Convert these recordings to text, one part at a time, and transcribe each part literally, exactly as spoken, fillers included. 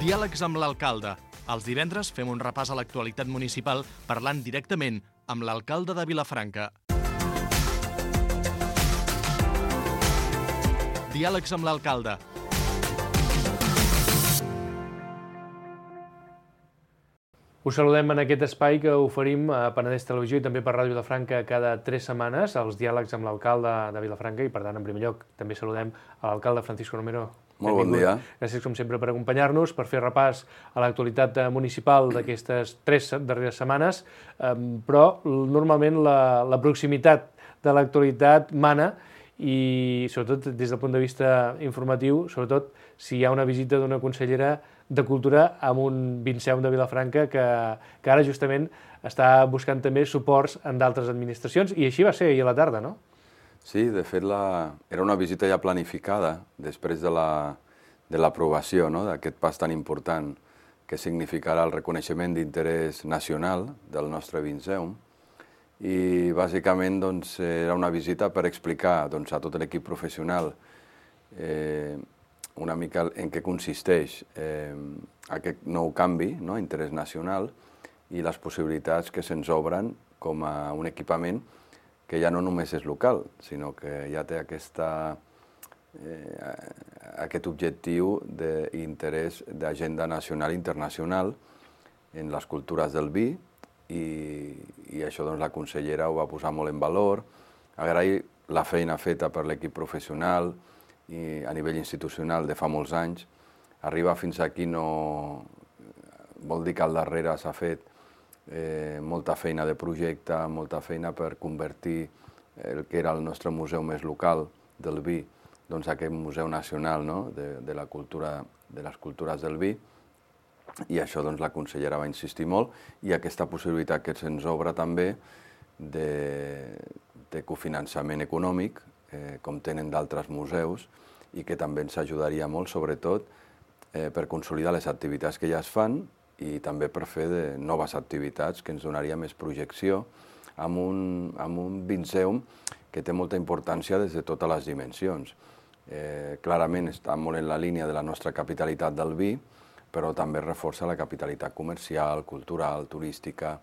Diàlegs amb l'alcalde. Els divendres fem un repàs a l'actualitat municipal parlant directament amb l'alcalde de Vilafranca. Diàlegs amb l'alcalde. Us saludem en aquest espai que oferim a Penedès Televisió i també per Ràdio Vilafranca cada tres setmanes, els diàlegs amb l'alcalde de Vilafranca, i per tant, en primer lloc, també saludem a l'alcalde Francisco Romero. Molt bon dia. Gràcies, com sempre, per acompanyar-nos, per fer repàs a l'actualitat municipal d'aquestes tres darreres setmanes, però normalment la, la proximitat de l'actualitat mana i, sobretot, des del punt de vista informatiu, sobretot si hi ha una visita d'una consellera de Cultura amb un Vinceum de Vilafranca que, que ara justament està buscant també suports en d'altres administracions, i així va ser ahir a la tarda, no? Sí, de fet la... era una visita ja planificada després de l'aprovació la... no? d'aquest pas tan important que significarà el reconeixement d'interès nacional del nostre Vinceum, i bàsicament doncs, era una visita per explicar doncs, a tot l'equip professional eh, una mica en què consisteix eh, aquest nou canvi, no? Interès nacional, i les possibilitats que se'ns obren com a un equipament que ja no només és local, sinó que ja té aquesta, eh, aquest objectiu d'interès d'agenda nacional i internacional en les cultures del vi, i, i això doncs, la consellera ho va posar molt en valor. Agrair la feina feta per l'equip professional i a nivell institucional de fa molts anys. Arribar fins aquí no vol dir que al darrere s'ha fet eh, molta feina de projecte, molta feina per convertir el que era el nostre museu més local del vi, doncs aquest museu nacional, no? de, de, la cultura, de les cultures del vi, i això doncs, la consellera va insistir molt, i aquesta possibilitat que se'ns obre també de, de cofinançament econòmic, eh, com tenen d'altres museus, i que també ens ajudaria molt, sobretot, eh, per consolidar les activitats que ja es fan i també per fer de noves activitats que ens donaria més projecció amb un, amb un Vinceum que té molta importància des de totes les dimensions. Eh, clarament està molt en la línia de la nostra capitalitat del vi, però també reforça la capitalitat comercial, cultural, turística,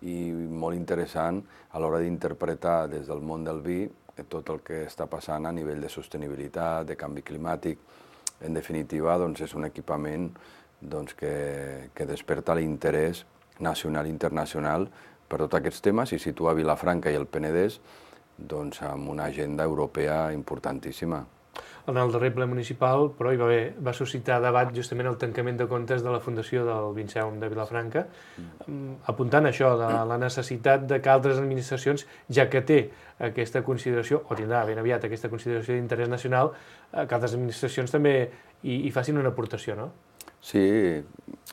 i molt interessant a l'hora d'interpretar des del món del vi tot el que està passant a nivell de sostenibilitat, de canvi climàtic. En definitiva, doncs, és un equipament doncs, que, que desperta l'interès nacional i internacional per tots aquests temes i situa Vilafranca i el Penedès doncs, amb una agenda europea importantíssima. En el darrer ple municipal, però, hi va, haver, va suscitar debat justament el tancament de comptes de la Fundació del Vinceum de Vilafranca, mm. apuntant això, de la necessitat de que altres administracions, ja que té aquesta consideració, o tindrà ben aviat aquesta consideració d'interès nacional, que altres administracions també hi, hi facin una aportació, no? Sí,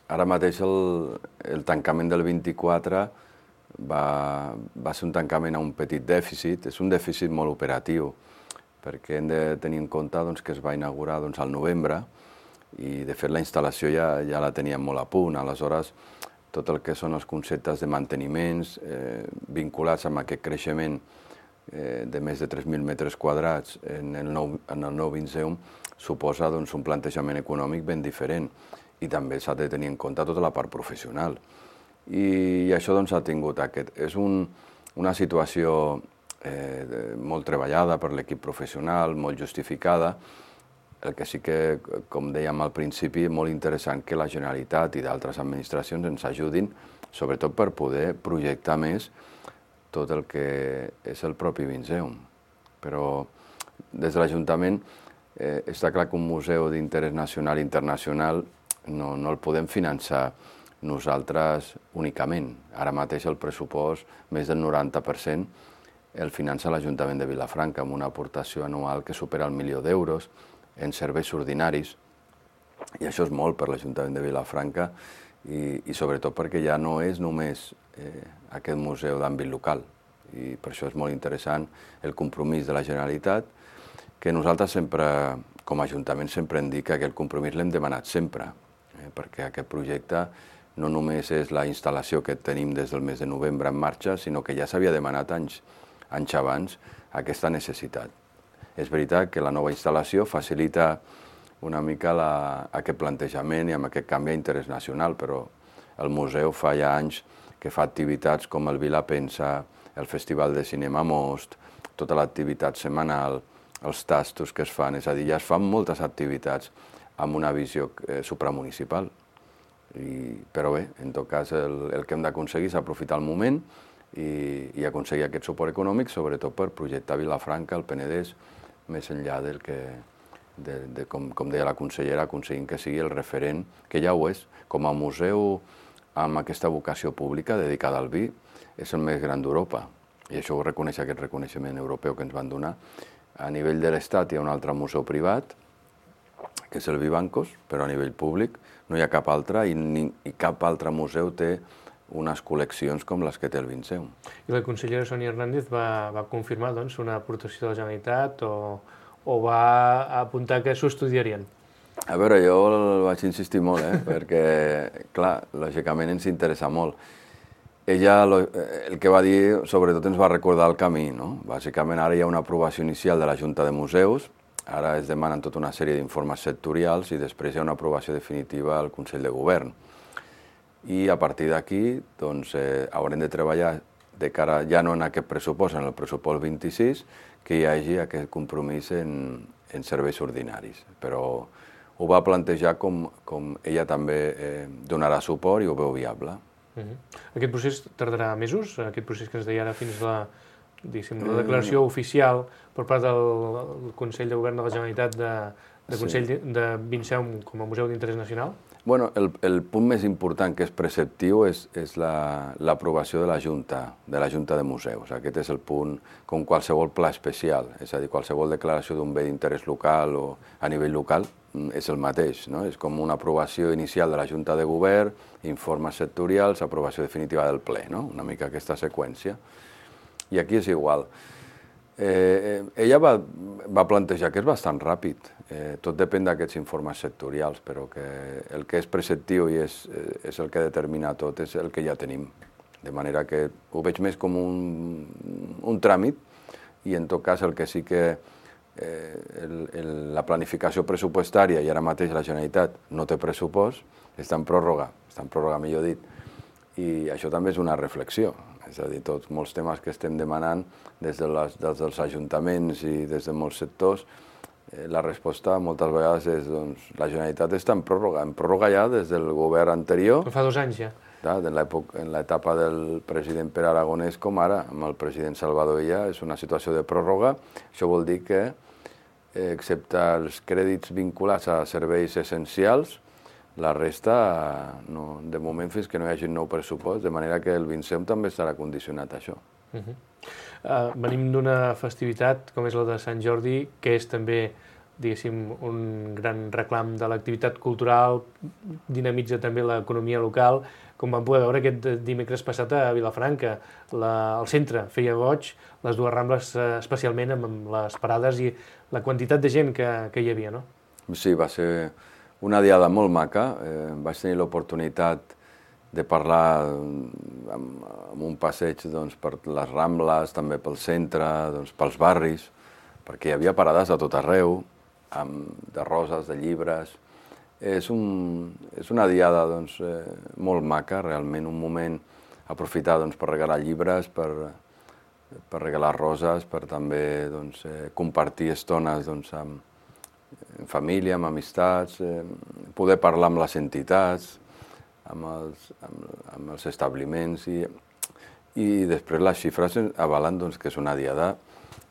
ara mateix el, el tancament del vint-i-quatre va, va ser un tancament a un petit dèficit, és un dèficit molt operatiu, perquè hem de tenir en compte doncs, que es va inaugurar doncs, al novembre i, de fet, la instal·lació ja, ja la teníem molt a punt. Aleshores, tot el que són els conceptes de manteniments eh, vinculats amb aquest creixement eh, de més de tres mil metres quadrats en el nou, en el nou Vinceum suposa doncs, un plantejament econòmic ben diferent, i també s'ha de tenir en compte tota la part professional. I, i això doncs, ha tingut aquest... És un, una situació Eh, molt treballada per l'equip professional, molt justificada. El que sí que, com dèiem al principi, és molt interessant que la Generalitat i d'altres administracions ens ajudin, sobretot per poder projectar més tot el que és el propi Vinceum. Però des de l'Ajuntament eh, està clar que un museu d'interès nacional i internacional no, no el podem finançar nosaltres únicament. Ara mateix el pressupost, més del noranta per cent, el finança l'Ajuntament de Vilafranca amb una aportació anual que supera el milió d'euros en serveis ordinaris, i això és molt per l'Ajuntament de Vilafranca i, i sobretot perquè ja no és només eh, aquest museu d'àmbit local, i per això és molt interessant el compromís de la Generalitat, que nosaltres sempre, com a Ajuntament, sempre hem dit que aquest compromís l'hem demanat sempre, eh, perquè aquest projecte no només és la instal·lació que tenim des del mes de novembre en marxa, sinó que ja s'havia demanat anys anys abans aquesta necessitat. És veritat que la nova instal·lació facilita una mica la, aquest plantejament i amb aquest canvi d'interès nacional, però el museu fa ja anys que fa activitats com el Vila Pensa, el Festival de Cinema Most, tota l'activitat setmanal, els tastos que es fan, és a dir, ja es fan moltes activitats amb una visió eh, supramunicipal. I, però bé, en tot cas, el, el que hem d'aconseguir és aprofitar el moment i, i aconseguir aquest suport econòmic, sobretot per projectar Vilafranca, el Penedès, més enllà del que, de, de, com, com deia la consellera, aconseguint que sigui el referent, que ja ho és, com a museu amb aquesta vocació pública dedicada al vi, és el més gran d'Europa. I això ho reconeix aquest reconeixement europeu que ens van donar. A nivell de l'Estat hi ha un altre museu privat, que és el Vivancos, però a nivell públic no hi ha cap altre i, ni, i cap altre museu té unes col·leccions com les que té el Vinceum. I la consellera Sònia Hernández va, va confirmar doncs, una aportació de la Generalitat o, o va apuntar que s'ho estudiarien? A veure, jo vaig insistir molt, eh? perquè, clar, lògicament ens interessa molt. Ella el que va dir, sobretot ens va recordar el camí, no? Bàsicament ara hi ha una aprovació inicial de la Junta de Museus, ara es demanen tota una sèrie d'informes sectorials i després hi ha una aprovació definitiva al Consell de Govern. I a partir d'aquí doncs, eh, haurem de treballar de cara, ja no en aquest pressupost, en el pressupost vint-i-sis, que hi hagi aquest compromís en, en serveis ordinaris. Però ho va plantejar com, com ella també eh, donarà suport i ho veu viable. Uh-huh. Aquest procés tardarà mesos? Aquest procés que ens deia ara fins a la, la declaració mm. oficial per part del Consell de Govern de la Generalitat de, de Consell sí. de Vinceum com a Museu d'Interès Nacional? Bueno, el, el punt més important que és preceptiu és, és l'aprovació la, de la Junta, de la Junta de Museus. Aquest és el punt, com qualsevol pla especial, és a dir, qualsevol declaració d'un bé d'interès local o a nivell local és el mateix, no? És com una aprovació inicial de la Junta de Govern, informes sectorials, aprovació definitiva del ple, no? Una mica aquesta seqüència. I aquí és igual. Eh, ella va, va plantejar que és bastant ràpid, eh, tot depèn d'aquests informes sectorials, però que el que és preceptiu i és, és el que determina tot és el que ja tenim. De manera que ho veig més com un, un tràmit i en tot cas el que sí que eh, el, el, la planificació pressupostària i ara mateix la Generalitat no té pressupost, està en pròrroga, està en pròrroga millor dit, i això també és una reflexió. És a dir, tots molts temes que estem demanant des, de les, des dels ajuntaments i des de molts sectors, eh, la resposta moltes vegades és doncs, la Generalitat està en pròrroga, en pròrroga ja des del govern anterior. Fa dos anys ja. Ja, en l'etapa del president Pere Aragonès com ara, amb el president Salvador Illa, és una situació de pròrroga. Això vol dir que, eh, excepte els crèdits vinculats a serveis essencials, la resta, no, de moment, fins que no hi hagi un nou pressupost, de manera que el Vinceum també estarà condicionat a això. Uh-huh. uh, venim d'una festivitat com és la de Sant Jordi, que és també, diguéssim, un gran reclam de l'activitat cultural, dinamitza també l'economia local, com vam poder veure aquest dimecres passat a Vilafranca. La, el centre feia goig, les dues Rambles especialment amb les parades i la quantitat de gent que, que hi havia, no? Sí, va ser una diada molt maca. Eh, vaig tenir l'oportunitat de parlar amb, amb un passeig doncs, per les Rambles, també pel centre, doncs, pels barris, perquè hi havia parades a tot arreu, amb, de roses, de llibres. És, un, és una diada doncs, eh, molt maca, realment, un moment aprofitar doncs, per regalar llibres, per, per regalar roses, per també doncs, eh, compartir estones doncs, amb, en família, amb amistats, eh, poder parlar amb les entitats, amb els, amb, amb els establiments i, i després les xifres avalen doncs, que és una diada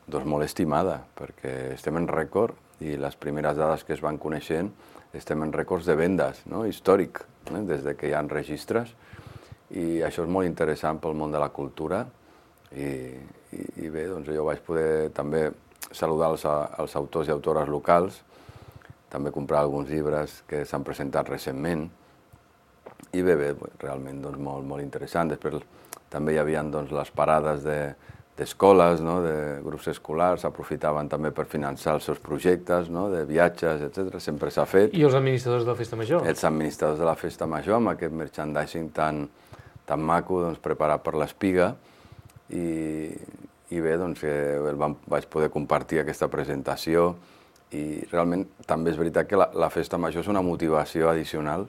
doncs, molt estimada perquè estem en rècord i les primeres dades que es van coneixent estem en rècords de vendes, no? Històric, eh? Des de que hi ha registres i això és molt interessant pel món de la cultura i, i, i bé, doncs jo vaig poder també saludar els, els autors i autores locals, també comprar alguns llibres que s'han presentat recentment i bé, bé, realment doncs, molt, molt interessant. Després també hi havia doncs, les parades d'escoles, de, no? De grups escolars, aprofitaven també per finançar els seus projectes, no? De viatges, etcètera. Sempre s'ha fet. I els administradors de la Festa Major. Els administradors de la Festa Major, amb aquest merchandising tan, tan maco doncs, preparat per l'Espiga i, i bé, doncs, eh, vam, vaig poder compartir aquesta presentació i realment també és veritat que la, la festa major és una motivació addicional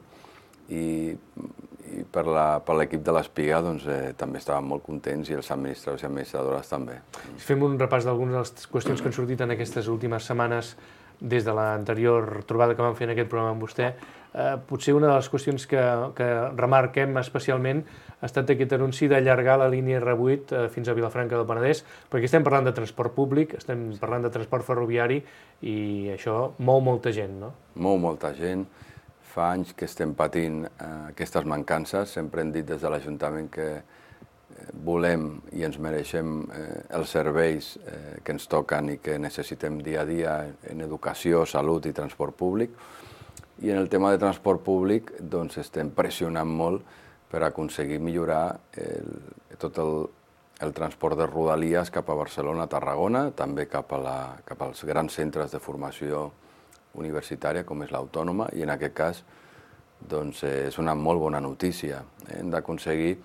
i, i per l'equip de l'Espiga doncs, eh, també estàvem molt contents i els administradors i administradores també. Si fem un repàs d'algunes de les qüestions que han sortit en aquestes últimes setmanes des de l'anterior trobada que vam fer en aquest programa amb vostè, eh, potser una de les qüestions que, que remarquem especialment ha estat aquest anunci d'allargar la línia R vuit eh, fins a Vilafranca del Penedès, perquè estem parlant de transport públic, estem parlant de transport ferroviari i això mou molta gent, no? Mou molta gent. Fa anys que estem patint eh, aquestes mancances. Sempre hem dit des de l'Ajuntament que eh, volem i ens mereixem eh, els serveis eh, que ens toquen i que necessitem dia a dia en educació, salut i transport públic. I en el tema de transport públic doncs, estem pressionant molt per aconseguir millorar el, tot el, el transport de Rodalies cap a Barcelona, Tarragona, també cap, a la, cap als grans centres de formació universitària, com és l'Autònoma, i en aquest cas doncs, és una molt bona notícia. Hem d'aconseguir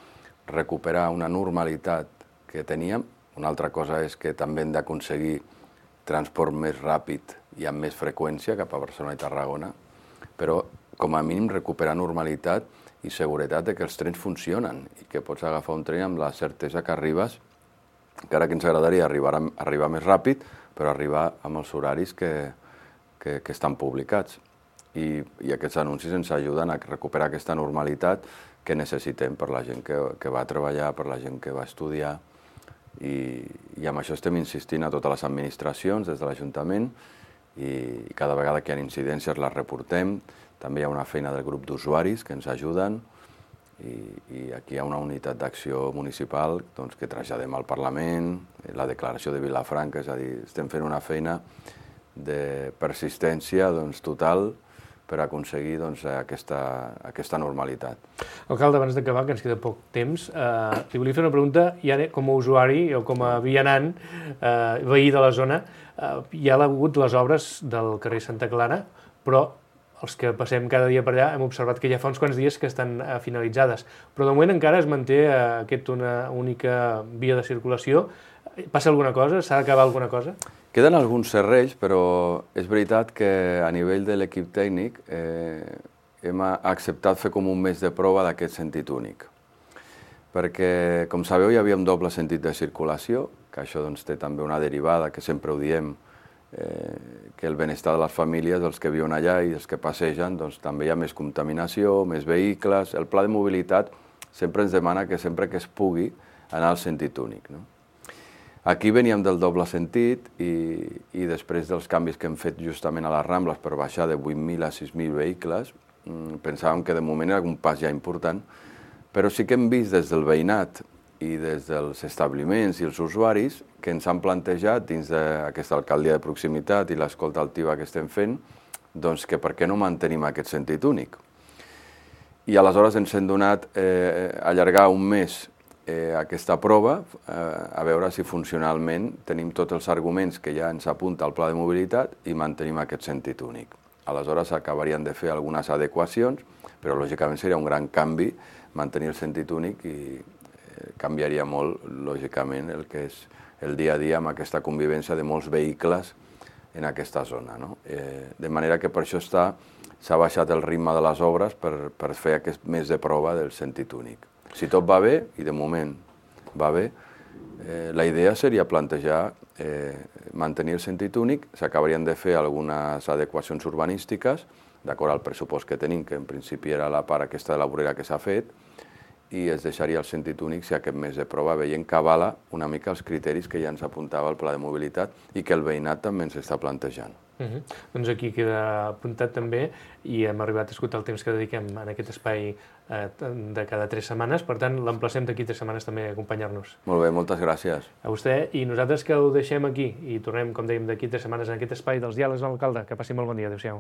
recuperar una normalitat que teníem. Una altra cosa és que també hem d'aconseguir transport més ràpid i amb més freqüència cap a Barcelona i Tarragona, però com a mínim recuperar normalitat i seguretat de que els trens funcionen i que pots agafar un tren amb la certesa que arribes, encara que ens agradaria arribar, a, arribar més ràpid, però arribar amb els horaris que, que, que estan publicats. I, I aquests anuncis ens ajuden a recuperar aquesta normalitat que necessitem per la gent que, que va treballar, per la gent que va estudiar, i, i amb això estem insistint a totes les administracions des de l'Ajuntament i, i cada vegada que hi ha incidències les reportem. També hi ha una feina del grup d'usuaris que ens ajuden i, i aquí hi ha una unitat d'acció municipal doncs, que traslladem al Parlament, la declaració de Vilafranca, és a dir, estem fent una feina de persistència doncs, total per aconseguir doncs, aquesta, aquesta normalitat. Alcalde, abans d'acabar, que ens queda poc temps, eh, li volia fer una pregunta, ja com a usuari o com a vianant, eh, veí de la zona, eh, hi ha hagut les obres del carrer Santa Clara, però els que passem cada dia per allà hem observat que ja fa uns quants dies que estan uh, finalitzades, però de moment encara es manté uh, aquesta una única via de circulació. Passa alguna cosa? S'ha d'acabar alguna cosa? Queden alguns serrells, però és veritat que a nivell de l'equip tècnic eh, hem acceptat fer com un mes de prova d'aquest sentit únic. Perquè, com sabeu, hi havia un doble sentit de circulació, que això doncs, té també una derivada, que sempre ho diem, Eh, que el benestar de les famílies, dels que viuen allà i dels que passegen, doncs també hi ha més contaminació, més vehicles. El pla de mobilitat sempre ens demana que sempre que es pugui anar al sentit únic. No? Aquí veníem del doble sentit i, i després dels canvis que hem fet justament a les Rambles per baixar de vuit mil a sis mil vehicles, pensàvem que de moment era un pas ja important, però sí que hem vist des del veïnat i des dels establiments i els usuaris que ens han plantejat dins d'aquesta alcaldia de proximitat i l'escolta altiva que estem fent, doncs que per què no mantenim aquest sentit únic. I aleshores ens hem donat eh, allargar un mes eh, aquesta prova, eh, a veure si funcionalment tenim tots els arguments que ja ens apunta el pla de mobilitat i mantenim aquest sentit únic. Aleshores acabarien de fer algunes adequacions, però lògicament seria un gran canvi mantenir el sentit únic i canviaria molt, lògicament, el que és el dia a dia amb aquesta convivència de molts vehicles en aquesta zona. No? Eh, de manera que per això està s'ha baixat el ritme de les obres per, per fer aquest mes de prova del sentit únic. Si tot va bé, i de moment va bé, eh, la idea seria plantejar eh, mantenir el sentit únic, s'acabarien de fer algunes adequacions urbanístiques, d'acord al pressupost que tenim, que en principi era la part aquesta de la vorera que s'ha fet, i es deixaria el sentit únic si aquest mes de prova veient que avala una mica els criteris que ja ens apuntava el pla de mobilitat i que el veïnat també ens està plantejant. Uh -huh. Doncs aquí queda apuntat també i hem arribat a escoltar el temps que dediquem en aquest espai eh, de cada tres setmanes, per tant l'emplacem d'aquí tres setmanes també a acompanyar-nos. Molt bé, moltes gràcies. A vostè, i nosaltres que ho deixem aquí i tornem, com dèiem, d'aquí tres setmanes en aquest espai dels diàlegs amb l'alcalde. Que passi molt bon dia, adéu-siau.